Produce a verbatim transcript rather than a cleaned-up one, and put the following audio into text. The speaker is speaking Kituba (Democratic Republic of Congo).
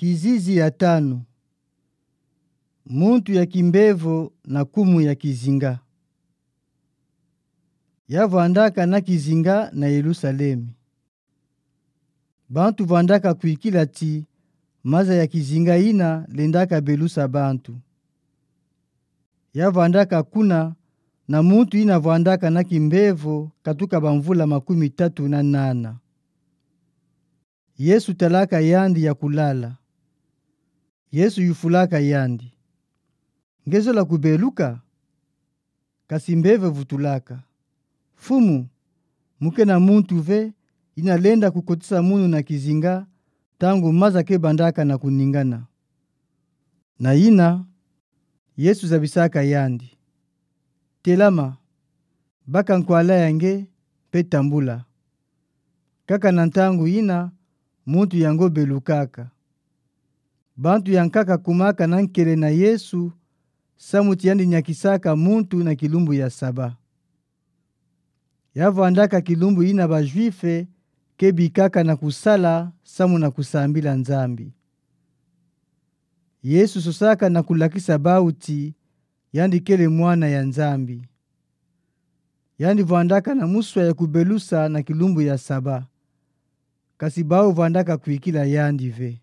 Kizizi ya tanu. Muntu ya kimbevo na kumu ya kizinga. Ya vwandaka na kizinga na Yelusalemi. Bantu vwandaka kwikila ti maza ya kizinga ina lendaka belusa bantu. Ya vwandaka kuna na muntu ina vwandaka na kimbevo katuka bamvula makumi tatu na nana. Yesu talaka yandi ya kulala. Yesu yufulaka yandi: Nge zola kubeluka? Kasi mbevo evutulaka: Mfumu, mu kena muntu ve ina lenda kukotisa munu na kizinga ntangu maza ke bandaka na kuningana. Na ina, Yesu zabisaka yandi: Telama, baka nkwala ya nge, mpe tambula. Kaka na ntangu ina, muntu yango belukaka. Bantu ya nkaka kumaka na nkele na Yesu, samu ti yandi nyakisaka muntu na kilumbu ya Saba. Ya vwandaka kilumbu ina ba Juife ke bikaka na kusala samu na kusambila Nzambi. Yesu sosaka na kulakisa bawu ti yandi kele Mwana ya Nzambi. Yandi vwandaka na muswa ya kubelusa na kilumbu ya Saba. Kasi bawu vwandaka kwikila yandi ve.